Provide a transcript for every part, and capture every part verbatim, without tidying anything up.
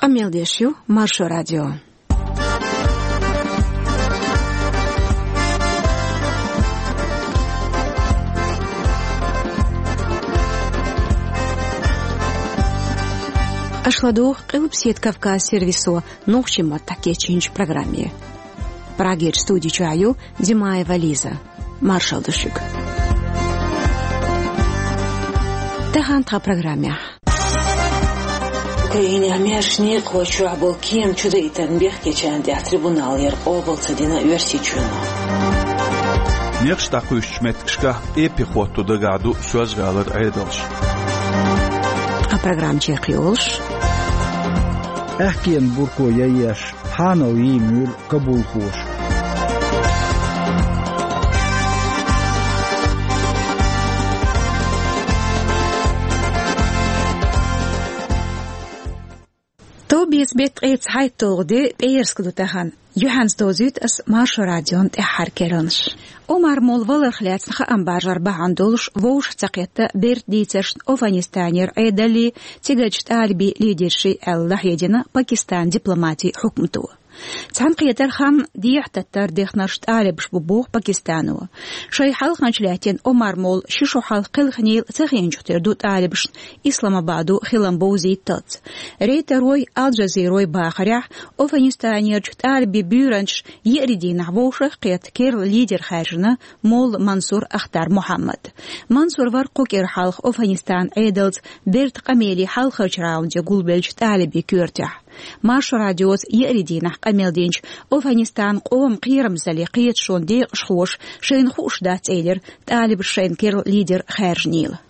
Къамел деш ю Маршо радио. Аша ладугӀу Къилбаседа Кавказ сервисо нохчийн маттахь кечйинчу программе. Прагерчу студи чохь ю Димаева Лиза. Маршалла ду шуьга. Тахана тхан программехь. Украинехь маьрша некъахой чохь болу кема чудаийтарна бехкечарна тӀехь трибуналера къобал ца дина Оьрсийчоьно. Некъаш дӀакхуьйсучу меттигашкахь эппи хӀотто дагахь ду Соьлжа-ГӀалара Ӏедалш. Ткъа программа чекхйолуш. Аьхкенан бурко яйеш, хьанал йийр ю кабулхоша. Товбеца беттан ткъе цхьайтталгӀа де, пӀераска ду тахана. Юьхьанца довзуьйту ас Маршо радион тӀаьххьара керланаш. Омар-молла валарх лаьцна хаам баржар бахьана долуш вовшах ца кхетта бертан дийцаршна Афганистанера Ӏедаллий, цигарчу тӀалибийн лидерший аьлла, лахьедина Пакистанан дипломатийн хьукмато. Цхьаьнакхетаран хан дехьа-таттара дехнарш тӀалибаш бу боху Пакистано. Шайн хьалханча лаьттина Омар-молла ши шо хьалха кхелхинийла ца хиъначух тера ду тӀалибашна Исламабадо хилам бовзийталц. Рейтерой, Ал-Джазирой бахарехь, Афганистанерчу тӀалибийн буьйранчаш еарин дийнахь вовшах а кхетта керла лидер хаьржина молла Мансур Ахтар Мухьаммад. Мансур вара кху кӀира хьалха Афганистанан Ӏедалца бертан къамеле хьалхарчу раунде гулбеллачу тӀалибийн коьртехь. Маршо радиоца еарин дийнахь къамел динчу Афганистанан къоман кхерамзаллин кхеташонан декъашхоша шайна хууш дац элира, тӀалибаша шайна керла лидер хаьржинийла.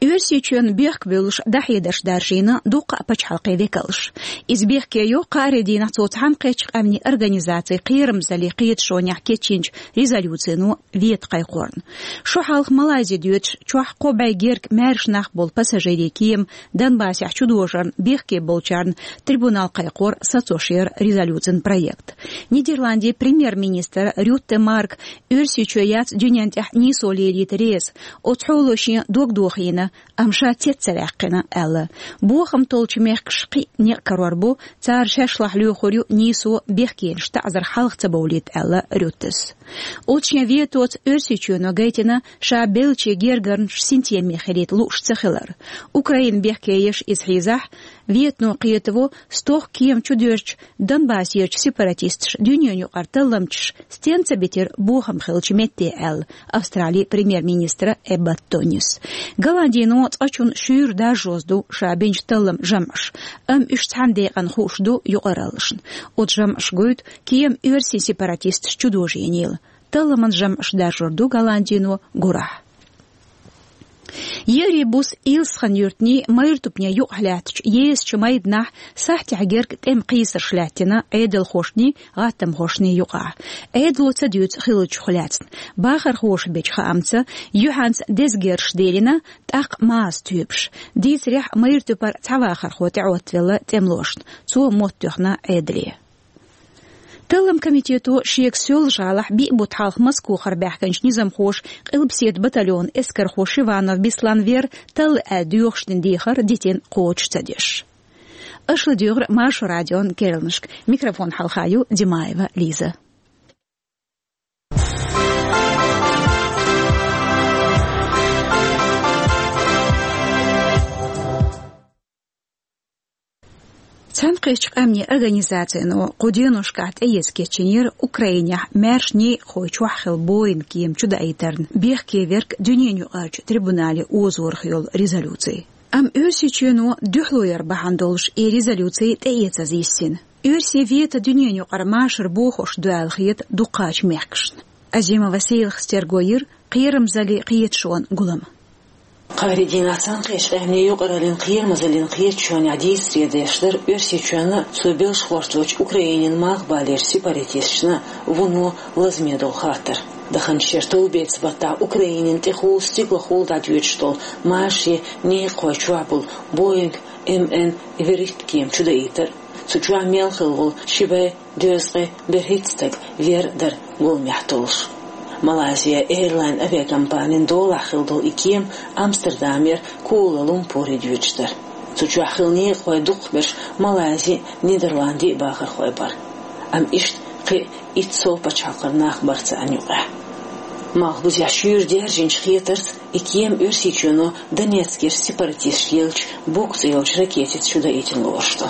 Оьрсийчоьнна бехк буьллуш дӀахьедарш даржийна дуккха а пачхьалкхийн векалша. Иза бехке йо кхаарин дийнахь цо Цхьаьнакхеттачу Къаьмнийн Организацин кхерамзаллин кхеташонехь кечйинчу резолюцино вето кхайкхорна. Шо хьалха Малайзи доьдуш, чохь кхо бӀе герга маьрша нах болу пассажирийн кема Донбассехь чудожарна бехке болчарна трибунал кхайкхор сацош яра резолюцин проект. Нидерландийн премьер-министр Рютте Марк Оьрсийчоь яц дуьнен тӀехь нийсо лелийта реза, оцу хьоло шен дог дохийна, амма ша цец ца ваьккхина, аьлла. Бохам толлучу мехкаша кхин а некъ карор бу, цара шаьш лахь лоьхур ю нийсо бехкенаш таӀзар хьалха ца бовлийта, аьлла Рюттес. Оцу шен ветоца Оьрсийчоьно гайтина ша беллачийн гергарнаш синтеме хилийта лууш ца хилар. Украина бехке еш иза хьийзахь, ветано кхетаво стохка кема чудоьрзучу Донбассерчу сепаратисташа дуьненан юкъара талламчаш стенна ца битира бохам хиллачу метте, аьлла Австралийн премьер-министра Эббот Тонис. Голландино цкъачунна шуьйра даржоз ду ша бинчу талламан жамӀаш, амма уьш цхьана декъана хууш ду юкъараллашна. Оцу жамӀаша гойту кема оьрсийн сепаратисташа чудожийнийла. Талламан жамӀаш даржор ду Голландино гурахь. Еарин буса Илсхан-юьртанний майра тупане юкъахь лаьттачу езачу майданахь сахьтехь герга тӀеман кхийсарш лаьттина Ӏедалхошний, гӀаттамхошний юкъахь. Ӏедало ца дуьйцу хиллачух лаьцна. Бахархоша бечу хаамца, юьхьанца деза герзаш делина, тӀаккха маза тоьпаш. Дийцарехь, майра тупара цхьа вахархо тӀеӀоттавелла тӀемалошна. Цо мотт тоьхна Ӏедале. Талламан комитето шега Соьлжа-ГӀалахь биъ бутт хьалха Москохара баьхкинчу низамхоша къилбаседа батальонан эскархо Шиванов Беслан вер талла аьлла доьхуш дина дехар дитина кхочуш ца деш. Аша ладуьйгӀира Маршо радион керланашка. Микрофон хьалха ю Димаева Лиза. Цхьаьнакхеттачу Къаьмнийн Организацино кху деношкахь тӀеэца кечйинера Украинехь маьрша некъахой чохь хилла Боинг кема чудаийтарна бехке верг дуьненан юкъарчу трибунале озорах йолу резолюци. Амма Оьрсийчоьно дуьхьало яр бахьана долуш и резолюци тӀеэцаза йиссина. Оьрсийн вето дуьненан юкъара машар бохуш ду аьлла хета дукхачу мехкашна. Азимова Сейлхас терго йира кхерамзаллин кхеташонан гулам. Кхаарин дийнахь Цхьаьнакхеттачу Къаьмнийн юкъараллин кхерамзаллин кхеташонехь дийцаре деш дара Оьрсийчоьнна, цо белшахошталучу Украинин малхбалерчу сепаратисташна вуно лазаме долу хаттар. Даханчу шеран товбеца баттахь Украинин тӀехула стиглахула дӀадоьдуш долу машарийн некъахой чохь болу Боинг М Н вуьрхӀитта кема чудаийтар. Цу чохь мел хилла волу ши бӀе дезткъе берхӀитта стаг вер дара гуламехь толлуш. Малайзия Эйрлайн авиакомпанин долахь хилла долу и кема Амстердамера Куала-Лумпуре доьдуш дара. Цу чохь хилла некъахой дукхахберш Малайзи, Нидерланди бахархой бара. Амма иштта кхин а итт сов пачхьалкхара нах бара царна юкъахь. Малхбузехь шуьйра даьржинчу хетарца, и кема Оьрсийчоьно Донецкера сепаратисташ еллачу Бук цӀе йолчу ракетица чудаийтина лоруш ду.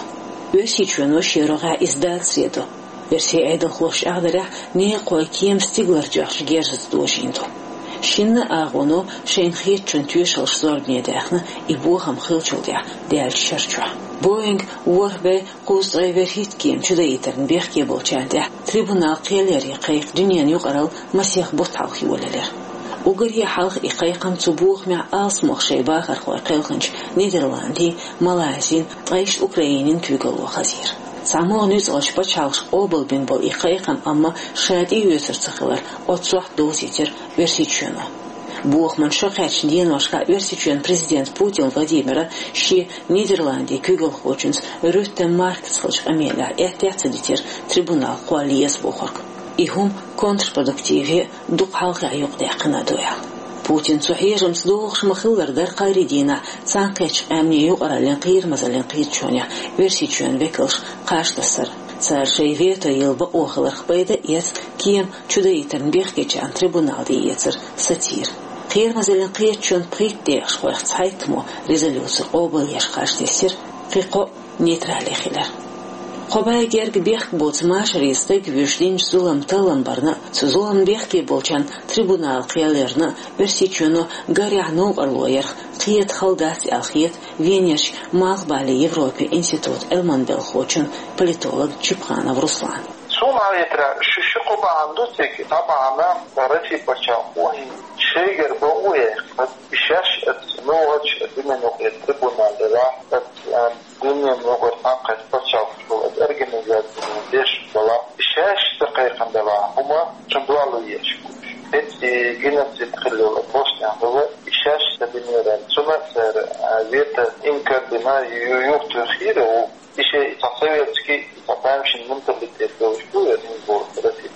Оьрсийчоьно шен рогӀехь иза дацаре до. Оьрсийн Ӏедалхоша чӀагӀдарехь, некъахой кема стигалара тоьхначу герзаца дожийна ду. Шинна а агӀоно шайна хетачун тоьшаллаш зорбане даьхна, и бохам хиллачул тӀаьхьа даьллачу шар чохь. Боинг ворхӀ бӀе кхузткъе ворхӀитта кема чудаийтарна бехке болчарна тӀехь трибунал кхел яран кхайкха дуьненан юкъаралла масех бутт хьалха йолаелира. Уггаре хьалха и кхайкхам цу бохамехь алсамох шайн бахархой кхелхинчу Нидерландийн, Малайзин, ткъа иштта Украинин куьйгалло хазийра. ЦхьамогӀа нуьцкъалчу пачхьалкхаша къобалбина болу и кхайкхам амма ша тӀеоьцур ца хилар оццохь довзийтира Оьрсийчоьно. Бохаман шо кхаьчначу деношкахь Оьрсийчоьнан президента Путин Владимира шен Нидерландийн куьйгалхочуьнца Рютте Маркца хиллачу къамелехь аьттехьа ца дитира трибунал кхолла еза бохург. И хӀума контрпродуктиве дукха хьалхе юкъадаьккхина а ду аьлла. Путин цу хьежамца догӀуш ма-хиллара дара кхаарин дийнахь Цхьаьнакхеттачу Къаьмнийн Юкъараллин кхерамазаллин кхеташонехь Оьрсийчоьнан векалш кхаж тассар. Цара шайн вето йилла бакъо хиларх пайда а эцна, кема чудаийтарна бехкечарна трибунал тӀеэцар сацийра. Кхерамазаллин кхеташонан пхийтта декъашхойх цхьайттамо резолюци къобалъеш кхаж тесира, кхин кхоъ нейтрале хилира. Кхо бӀе гергга бехк боцу машаре стаг вуьйш динчу зуламан таллам барна а, цу зуламна бехке болчарна трибунал кхел ярна а Оьрсийчоьно гарехь новкъарло ярх кхета хала дац аьлла хета Венерчу Малхбален Европин институтан Ӏилманбелхочун, политолог Чипханов Руслана. Суна хетарехь, шу, шу кхо бахьана ду цига, цхьа бахьана Россин пачхьалкхо хӀинца шайгара бакъо яьккхина, и шаьш оцу муьлххачу дуьненаюкъарчу трибунале ваха, оцу, а, дуьненаюкъарчу цхьаьнакхеттачу пачхьалкхаш болу оцу организацино деш а бала, и шаьш ца кхайкхина далахь хӀума, цунна дуьхьал еш. ХӀинца и геноцид хилла йолу Боснехь хилла, и шаьш ца динера, цунна а цара, а, вето инкар дина, ю-, юхатоьхира ву. И шен и цхьа советский, и цхьа тамашийна менталитет долуш ду, я не знаю, Россия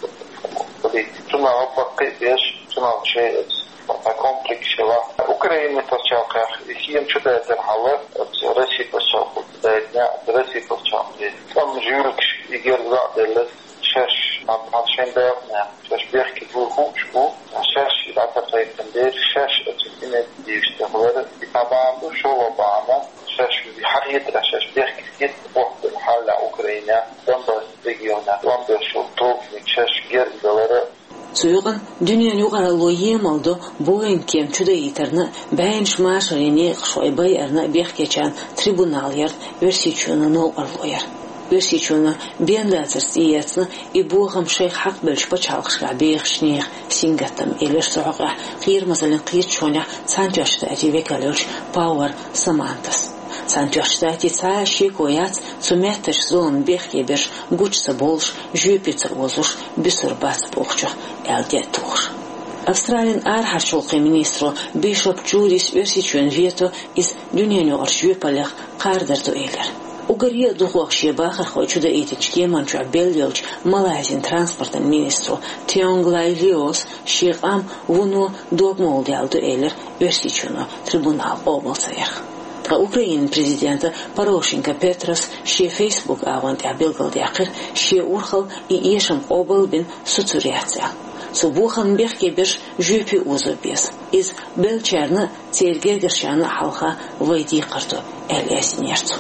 политика. Цунах баккхий а беш, цунах шен оцу цхьа комплекс хилла. Украина пачхьалкхехь и кема чудайтархьама, оцу Россия пачхьалкхо дайтина, оцу Россия пачхьалкхе тӀом жуьлуш и герга а делла, шаьш, а, а, шайн дакъанехь, шаьш бехке буй хууш бу, шаьш и дӀа ца кхайкхина дела, шаьш оцу инициативаш тӀехь вара, и цхьа бахьана ду, шолгӀа бахьана, шаьш хьахетарехь, шаьш бехке хетта, охьадала хьалха Украинехь, Донбасс регионехь, тӀом беш йолу тобаниг шаьш герга далар а. Цу юкъана дуьненан юкъаралло емал до Боинг кема чудаийтарна а, бӀеннаш машарийн некъашхой байарна а бехкечарна трибунал ярна Оьрсийчоьно новкъарло яр. Оьрсийчоьно бен дацарца тӀеэцна и бохам шайх хьакхабевллачу пачхьалкхашкахь бехачу нехан сингаттам, элира цу хьокъехь кхерамазаллин кхеташонехь Цхьаьнатоьхначу Штатийн векал йолчу Пауэр Самантас. Цхьаьнатоьхначу Штатийн цхьа а шеко яц цу меттачу зуламна бехке берш гучу ца бовлуш, жоьпе ца озуш буьсур бац бохучух аьлла де а тухуш. Австралин арахьарчу гӀуллакхийн министро Бишоп Джудис Оьрсийчоьнан вето иза дуьненаюкъарчу жоьпаллех кхардар ду элира. Уггаре а дукхох шен бахархой чудаийтинчу кеман чохь белла йолчу Малайзин транспортан министро Тионг Лай Лиос шен къам вуно догмалла даьлла ду элира Оьрсийчоьно трибунал къобал ца ярх. Ткъа Украинан президента Порошенко Петрос шен Facebook агӀон тӀехь билгалдаьккхира шен урхалла и эшам къобал а бина, суцур яц аьлла. Цу бохамна бехке берш жоьпе озо беза. Иза беллачарна а, церан гергарчарна а хьалха вай декхар ду, аьлла яздинера цо.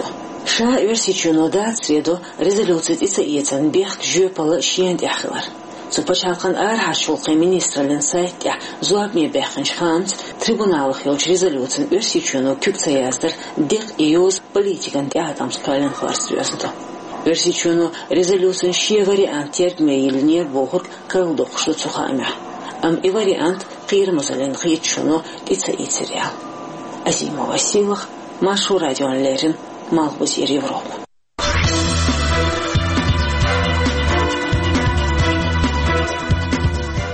Ша Оьрсийчоьно дацаре до резолюци тӀе ца эцарна бехк жоьпалла шена тӀехь хилар. Цу пачхьалкхан арахьарчу гӀуллакхийн министраллин сайта тӀехь зорбане баьхкинчу хаамца, трибуналах йолчу резолюцина Оьрсийчоьно куьг ца яздар декъа и йоза политикан тӀеӀаткъамца кхоьллина хиларца доьзна ду. Оьрсийчоьно резолюцин шен вариант тергаме йиллинера бохург карладоккхуш ду цу хаамехь. Амма и вариант кхерамазаллин кхеташоно тӀе ца ийцира аьлла. Азимова Сийлаха, Маршо радиона леррина, Малхбузера Европа.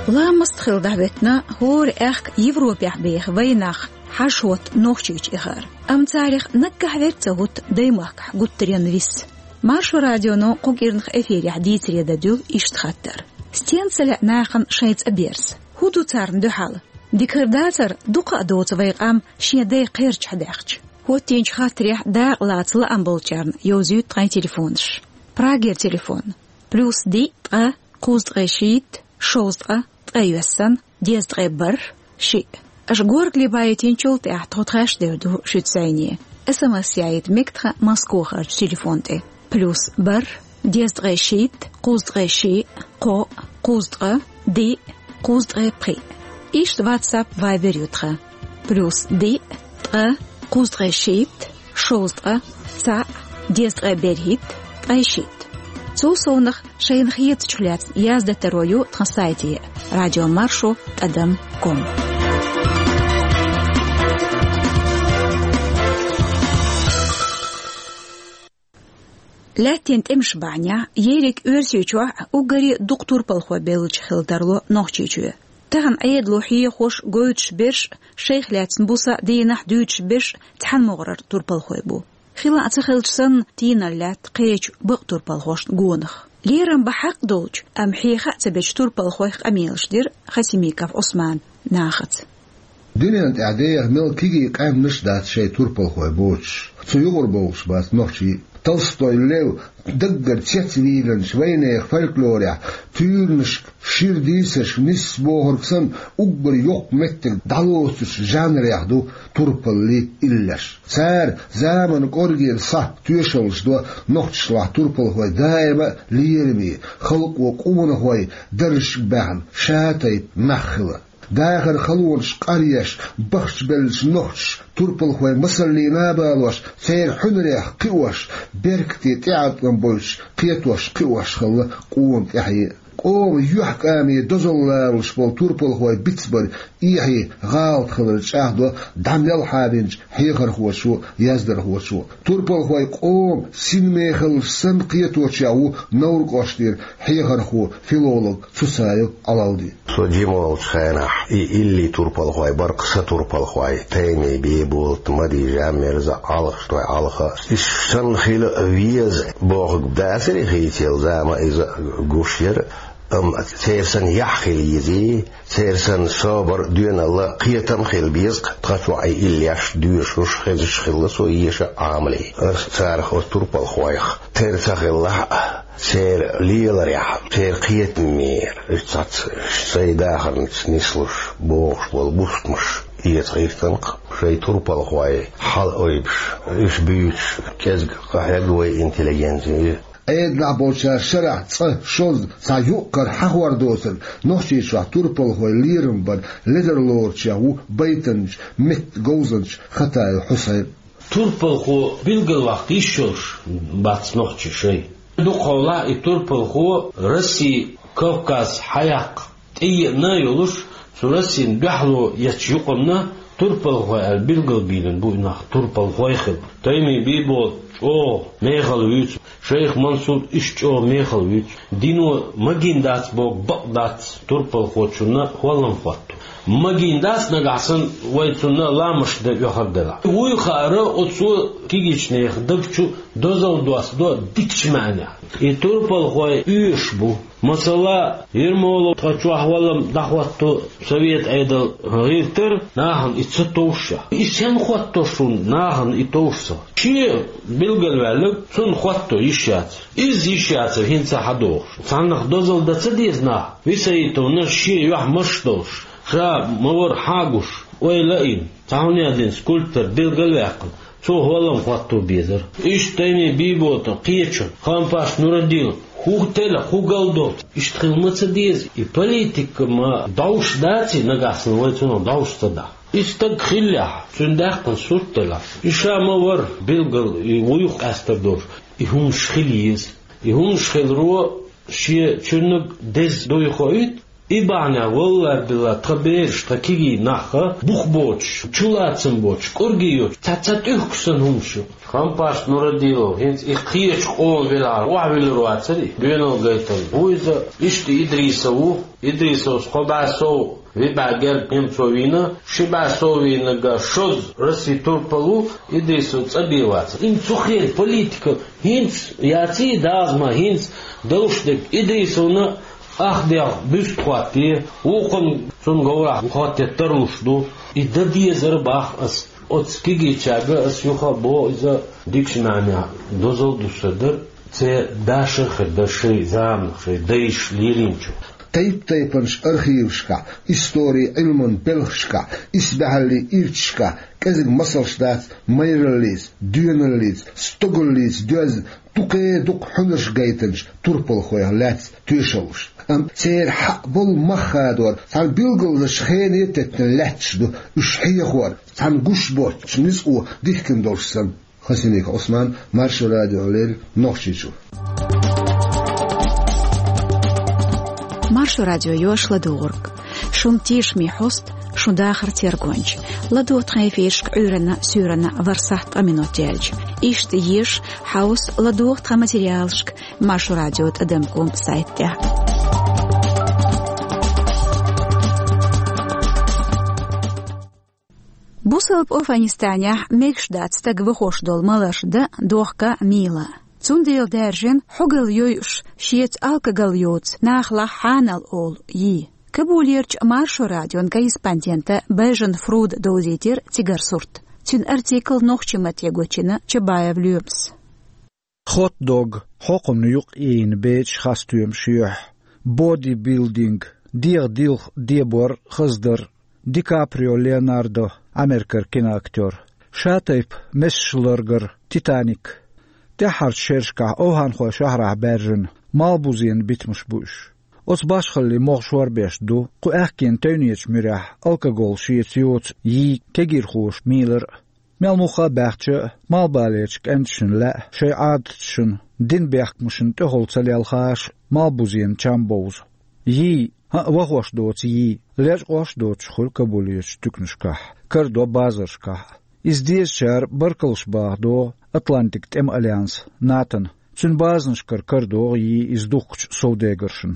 Ламаст хила дӀахӀоьттина хӀора аьхка Европехь беха вайнах хьажа хӀотта Нохчийчу эхар. Амма царах наггахь верг ца хӀутту даймахкахь гуттаренна виса. Маршо радионо кху кӀирнах эфирехь дийцаре дан дуьллу иштта хаттар: стенна ца лаьа нахана шайн цӀа берза? ХӀун ду царна дуьхьал? Дика хир дацара, дукха а доцу вай къам шен дай кхерчахь даьхча. ХӀоттийначу хаттарехь дакъа лаца лаам болчарна йовзуьйту тхайн телефонаш. Прагера телефон: плюс диъ, ткъа, кхузткъе шийтта, шовзткъа, ткъайоьсна, дезткъе бархӀ, шиъ. Аша горгали байтинчул тӀаьхьа тхо тхаьш девр ду шуьца зӀене. СМС яйта мега тхан Москохарчу телефон тӀе: плюс бархӀ, дезткъе шийтта, кхузткъе шиъ, кхоъ, кхузткъа, диъ, кхузткъе пхиъ. Иштта WhatsApp, Viber ю тхан: плюс диъ, ткъа, кхузткъе шийтта, шовзткъа, цхьаъ, дезткъе берхӀитта, ткъе шийтта. Цул совнах шайна хетачух лаьцна яздатаро ю тхан сайте: радио маршо тӀадам ком. Лаьттан тӀемаш бахьанехь, ерриг Оьрсийчохь уггаре дукха турпалхой беллачу хила тарло Нохчийчоь. Тахана Ӏедало хьехош, гойтуш берш, шайх лаьцна буса а, дийнахь дуьйцуш берш цхьана могӀарера турпалхой бу. Хила а ца хилча санна, тийналла лаьтта кхечу бакъ турпалхошна гонах. Лерам бан хьакъ долчу, амма хьеха а ца бечу турпалхойх къамелаш дира Хасимиков Ӏусманан нахаца. Дуьнен тӀехь деха мел кегий къаьмнаш а дац шайн турпалхой боцуш, цу юкъара бовлуш бац нохчий а. Толстой Лев даггара цецвийлинчу вайнехан фольклорехь туьйранашка, шира дийцаршка нисса бохург санна, уггар йоккха меттиг дӀалоцучу жанрех ду турпаллий иллеш. Цара заманан кӀоргера схьа тоьшаллаш до нохчашлахь турпалхой даима а лераме, халкъо къонахой даржашка баьхна, ша-тайпа нах хилар. Дахаран халонаш къаръеш, бахчабеллачу нохчаша турпалхой масаллина а балош, церан хьуьнарех кхиош, беркате тӀеӀаткъам бойтуш кхетош, кхиош хилла къона тӀаьхье а. Къоман юьхькӀаме дозалла лоруш болу турпалхой бицбар эхье, гӀалат хилар чӀагӀдо дӀа мел хьабинчу хьехархочо а, яздархочо а. Турпалхой къоман синмехаллаш санна кхеточех ву Невран кӀоштара хьехархо, филолог Цуцаев Ӏалалди. Со жима волчу хенахь и илли турпалхой бара-кх сан турпалхой: Тайми Бийболат, Мади Жаммирза, Ӏалхашной Ӏалха. Уьш санна хила веза бохург дацара хийцаелла, зама иза гуш яра, амма церан санна яхь хила езий, церан санна собар а, доьналла а, кхетам а хила беза-кх, тхан чохь и иллеш доьшуш, хезаш хилла со еша а, Ӏамале. Аса царах, оцу турпалхойх, тера ца хилла а, церан леларехь, церан кхетамера, уьш цхьацца шайн дахарца нислуш богӀуш болу бустамаш эца гӀиртина-кх, шайн турпалхой хьала ойбуш, уьш буьйцуш кӀезиг къахьегна вай интеллигенци. Ӏедалехь болчара шарахь цкъа, шозза, цхьа юкъ-кара хьахор доцург Нохчийчохь турпалхой лерам бар ледарлоручех ву байтанча, меттан говзанча Хатаев Хьусайн. Турпалхо билгалваккха йиш йолуш бац нохчий шайн. Дукхахьолахь и турпалхо Росси, Кавказ хьаяккха тӀееана а йолуш, цу Россин дуьхьало ечу юкъанна турпалхой аьлла билгалбийлина бу и нах, турпалхой хилла. Тайми Бийболат чӀогӀа мехала вуьйцу, Шайх Мансур иштта чӀогӀа мехала вуьйцу. Дино магийна дац боху бакъ дац турпалхочунна хӀоллам хӀотто. Магийна дац, нагахь санна вай цунна ламазаш дан оьхар делахь. Вуй хаара, оцо кегийчу нехан даг чу дозалла доссадо дикачу маьӀнехь. И турпалхой оьшуш бу. Масала, Ермолов тхан чохь хӀоллам дӀахӀотто совет Ӏедал гӀиртара, нахана и ца товшшехь. И сенна хӀотто шуна, нахана и товш ца? Шен билгалваьлларг цунна хӀотто йиш яцара. Иза йиш яцара хӀинца а хьадогӀуш. Цхьаннах дозалла дан ца деза нах, Висаитовна шен юьхь марш долуш, ша ма вара хьан а гуш, ойла а йина, цхьа хӀун яздина скульптор билгалваьккхина, цо хӀоллам хӀотто безара. Иштта Тайми Бийболата кхечун, Хампаш Нурадилов, хӀун тела, хӀун галдоцу, иштта хила ма ца деза. И политика ма дӀовш даций, нагахь санна вай цунах дӀовш ца дахь. И стаг хиллехь, цуьнан даьккхина сурт делахь, и ша ма вара билггал и вуй къаьстар долуш, и хӀуманаш хила еза. И хӀуманаш хиларо шен чуьрниг деза дуй хоуьйту, и бахьанехь, валлахӀи-биллахӀи, тхан бераш, тхан кегий нах бух боцуш, чулацам боцуш, кӀорге йоцуш, цхьацца тӀуьхкуш санна хӀуманаш ю. Хампаш Нурадилов хӀинца и кхечу къоман велахь, охьавуьллур вацара и, доьналла гайталла. Ву иза, иштта Идрисов ву, Идрисовс кхо бӀе сов виъ бӀе герга немцо вийна, ши бӀе сов вийнарг шозза Россин турпал ву, Идрисов цӀа бен вацара. Ин цу хенан политика хӀинца яций, дазма хӀинца довш дерг Идрисовна ах дегӀ буьст хӀоттае, вукхунна цунна говрахь хӀоттае тарлуш ду. И дан дезара бах ас. Оцу кегийчаьрга ас юха а боху, иза дикачу нахана дозалла ду сан дар, церан дашах хир дара шайн заманах, шайн дайша лелийначух. Тайп-тайпанчу архивашкахь, историн Ӏилманан белхашкахь, исбаьхьаллин ирчашкахь кӀезиг масалш дац майраллица, доьналлица, стогаллица доьзна, дукха-дукха хьуьнарш гайтинчу турпалхойх лаьцна тоьшаллаш. Амма церан хьаъ болу мах хадор цхьана билгалзачу хене теттина лаьтташ ду уьш хьехор, цхьана гуш боцчу ницкъо дихкина долуш санна. Хасимиков Ӏусман, Маршо радио, леррина Нохчийчуьра. Маршо радио йоьшу ладугӀург. Шун тешаме хьоста, шун дахар тергонча. ЛадугӀу тхан эфирашка Ӏуьйранна, суьйранна ворхӀ сахьт ткъа минот яьлча. Иштта еша, хьовса, ладугӀу тхан материалашка Маршо радио тӀадам ком сайта тӀехь. Бусалба Афганистанехь мегаш дац стаг вахош долу маларш дан, дохка, мийла. Цундела даьржина хьогалла йойуш, шеца алкоголь йоцу нахалахь хьанал олу йий. Кабулерчу Маршо радион корреспондента Бежан Фруда довзийтира цигара сурт. Цуьнан артикл нохчийн матте гочйина Чабаев Лоьмас. Хот-дог, хьокхунна юкъ ийна бечу хас стоьмаш юьхь, бодибилдинг, дегӀан дилха дебор, хаздар, Ди Каприо Леонардо, Америкара киноактёр, шатайпа месаш ларгар, Титаник. ТӀаьххьарчу шерашкахь овхӀанхойн шахьарахь баьржина малбузенан битамаш бу уьш. Оцу башхаллин могӀа шорбеш ду кху аьхкенан тевнечу муьрехь алкоголь шеца йоцу йий кегийрхоша мийлар а. Мел муха а баьхча, малхбалерчу кӀенташна лаьа шайн Ӏадаташна, динан бехкамашна тӀехула ца лелхаш, малбузенан чам бовза. Йий, хӀаъ, вахош доцу йий, лечкъош а доцуш хуьлу Кабулерчу туьканашкахь, карадо базаршкахь а. Иза дезачара баркаллаш баха догӀу Атлантикан тӀеман альянс, натона. Цуьнан базанашкара карадогӀу йий иза духкучу совдегаршна.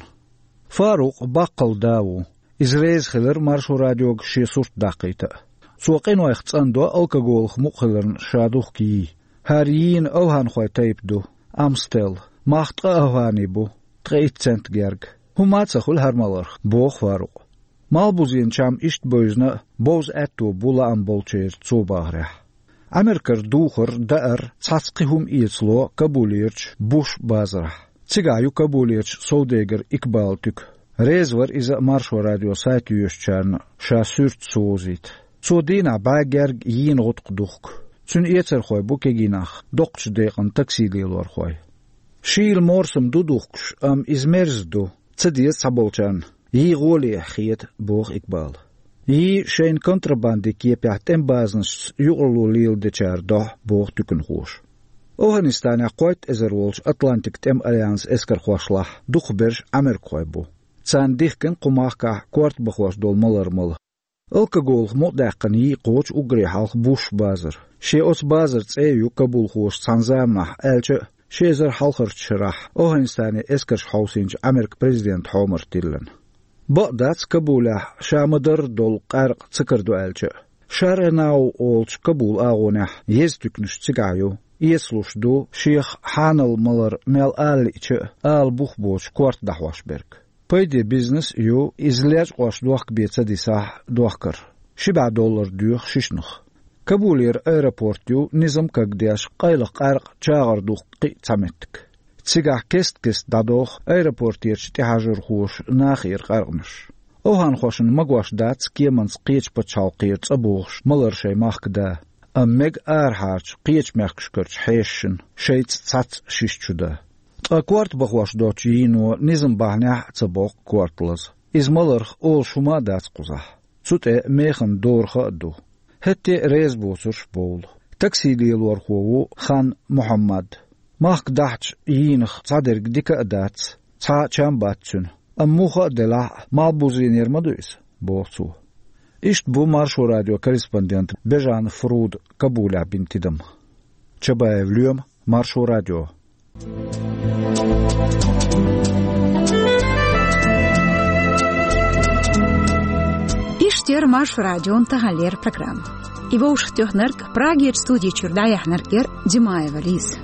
Фарукъ баккхалла да ву. Иза реза хилира Маршо радиога шен сурт даккхийта а. Цо къинойх цӀандо алкоголах мукъа хиларна ша духку йий. ХӀара йийна овхӀанхойн тайпа ду, Амстел, мах ткъа овхӀан бу, ткъе итт цент герга. ХӀумма а ца хуьлу хӀара маларх, боху Фарукъа. Малбузенан чам иштта бевзина а, бовза аьтто бу лаам болчеран цо бахарехь. Америкара духар, даар, цхьацца кхин хӀума эцало Кабулерчу Буш базарахь. Цигахь ю Кабулерчу совдегара Икбалан туька. Реза вара иза а Маршо радион сайт йоьшучарна ша суьртаца вовзийта. Цо дийнахь бӀе герга йийна гӀутакх духку. Цуьнан эцархой бу кегий нах, доккхачу декъана такси лелорхой. Шийла морсам ду духкуш, амма иза мерза ду, ца деза цхьаболчарна, йий гӀолехь хета, боху Икбала. Йий шайна контрабандин кепехь тӀеман базанашца юкъаралла леладечара дохьа, боху туьканхоша. ОвхӀанистанехь кхойтта эзар волчу Атлантикан тӀеман альянсан эскархошлахь дукхахберш америкахой бу. Царна дихкина кху махкахь корта бахош долу малар мала. Алкоголах мукъадаьккхина йий кхочу уггаре хьалха Буш базар. Шен оцу базаран цӀе а ю кабулхоша цхьана заманахь, аьлча а, ши эзар хьалхарчу шарахь ОвхӀанистане эскарш хьовсийначу Американ президентан хьомарх тиллина. Бакъ дац Кабулехь ша ма-дарра долу къаьркъа ца карадо аьлча а. Шаренау олучу Кабулан агӀонехь еза туьканаш цигахь ю, эцалуш ду шех хьанал малар мел ала лиъча а, ала бух боцуш корта дӀахьош берг. Пайде бизнес а ю, иза лечкъош дохка бен ца дисахь, дохкар. Ши бӀе доллар доьху шишнах. Кабулера аэропорт ю низам кагдеш, къайлаха къаьркъа чагӀар духку кхин а цхьа меттиг. Цигахь кест-кеста дӀадоху аэропортерчу тӀехьажархоша нахера къаьркъанаш. ОвхӀанхошна магош дац кеманца кхечу пачхьалкхера цӀа бохуш малар шайн махка да, амма мега арахьарчу кхечу мехкашкарчу хьешашна шайца цхьацца шиша чу дан. Ткъа корта бахош доцучу йийно низам бахьанехь а ца боккху корта лаза. Иза маларх олуш хӀума а дац кхузахь. Цу тӀе механа дораха а ду. ХӀетте а реза боцурш бовлу. Такси лелорхо ву Хан Мухьаммад. Махка дахьча йийнах цхьадерг дика а дац, цхьа а чам бац цуьнан. Амма муха а делахь а, малбузенера ма ду иза, боху цо. Иштта бу Маршо радион корреспондент Бежан Фруда Кабулехь бина тидам. Чабаев Лоьма, Маршо радио. Иштта яра Маршо радион таханлера программа. И вовшахтоьхнарг, Прагерчу студи чуьра дӀаяьхьнарг яра Димаева Лиза.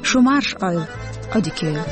Шу марша Ӏойла, Ӏодика йойла.